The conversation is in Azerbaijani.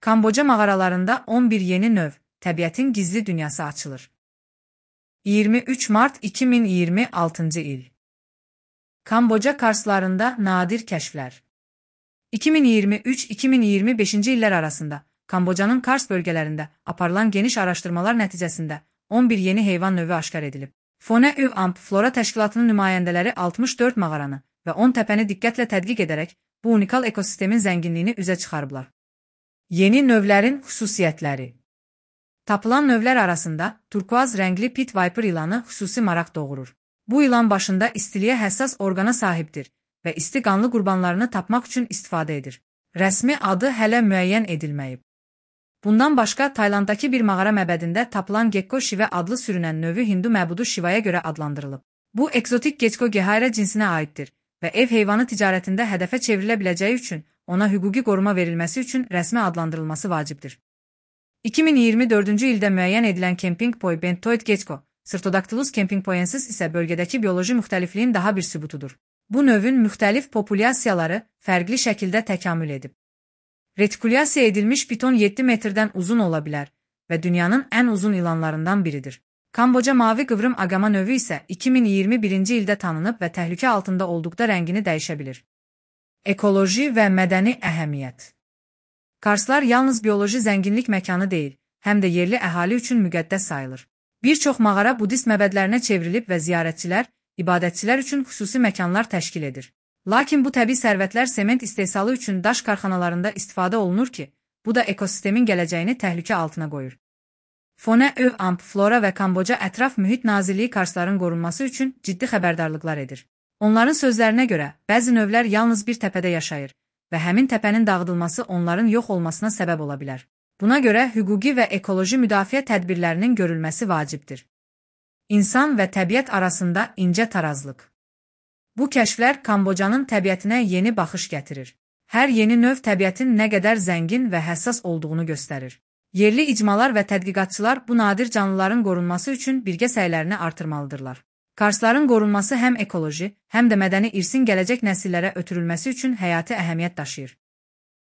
Kamboca mağaralarında 11 yeni növ, təbiətin gizli dünyası açılır. 23 Mart 2026 il. Kamboca karslarında nadir kəşflər. 2023-2025 illər arasında Kamboca'nın Kars bölgelerinde aparılan geniş araştırmalar nəticəsində 11 yeni heyvan növü aşkar edilib. FONE-UAMP Flora Təşkilatının nümayəndələri 64 mağaranı və 10 təpəni diqqətlə tədqiq edərək bu unikal ekosistemin zənginliyini üzə çıxarıblar. Yeni növlərin xüsusiyyətləri. Tapılan növlər arasında turkuaz rəngli pit viper ilanı xüsusi maraq doğurur. Bu ilan başında istiliyə həssas orqana sahibdir və isti qanlı qurbanlarını tapmaq üçün istifadə edir. Rəsmi adı hələ müəyyən edilməyib. Bundan başqa, Taylanddakı bir mağara məbədində tapılan Gekko Şivə adlı sürünən növü Hindu məbudu Şivaya görə adlandırılıb. Bu, ekzotik Gekko Gehaira cinsinə aiddir və ev heyvanı ticarətində hədəfə çevrilə biləcəyi üçün ona hüquqi qoruma verilməsi üçün rəsmi adlandırılması vacibdir. 2024-cü ildə müəyyən edilən Kemping Boy Bentoid Gekko, Sırtodactylus kempingboyensis isə bölgədəki bioloji müxtəlifliyin daha bir sübutudur. Bu növün müxtəlif populyasiyaları fərqli şəkildə təkamül edib. Retikulyasiya edilmiş piton 7 metrdən uzun ola bilər və dünyanın ən uzun ilanlarından biridir. Kamboca mavi qıvrım aqama növü isə 2021-ci ildə tanınıb və təhlükə altında olduqda rəngini dəyişə bilir. Ekoloji və mədəni əhəmiyyət. Karslar yalnız bioloji zənginlik məkanı deyil, həm də yerli əhali üçün müqəddəs sayılır. Bir çox mağara budist məbədlərinə çevrilib və ziyarətçilər, ibadətçilər üçün xüsusi məkanlar təşkil edir. Lakin bu təbii sərvətlər sement istehsalı üçün daş karxanalarında istifadə olunur ki, bu da ekosistemin gələcəyini təhlükə altına qoyur. FONE-UAMP Flora və Kamboca Ətraf Mühit Nazirliyi karsların qorunması üçün ciddi xəbərdarlıqlar edir. Onların sözlərinə görə, bəzi növlər yalnız bir təpədə yaşayır və həmin təpənin dağıdılması onların yox olmasına səbəb ola bilər. Buna görə hüquqi və ekoloji müdafiə tədbirlərinin görülməsi vacibdir. İnsan və təbiət arasında incə tarazlıq. Bu kəşflər Kambocanın təbiətinə yeni baxış gətirir. Hər yeni növ təbiətin nə qədər zəngin və həssas olduğunu göstərir. Yerli icmalar və tədqiqatçılar bu nadir canlıların qorunması üçün birgə səylərini artırmalıdırlar. Karsların qorunması həm ekoloji, həm də mədəni irsin gələcək nəsillərə ötürülməsi üçün həyati əhəmiyyət daşıyır.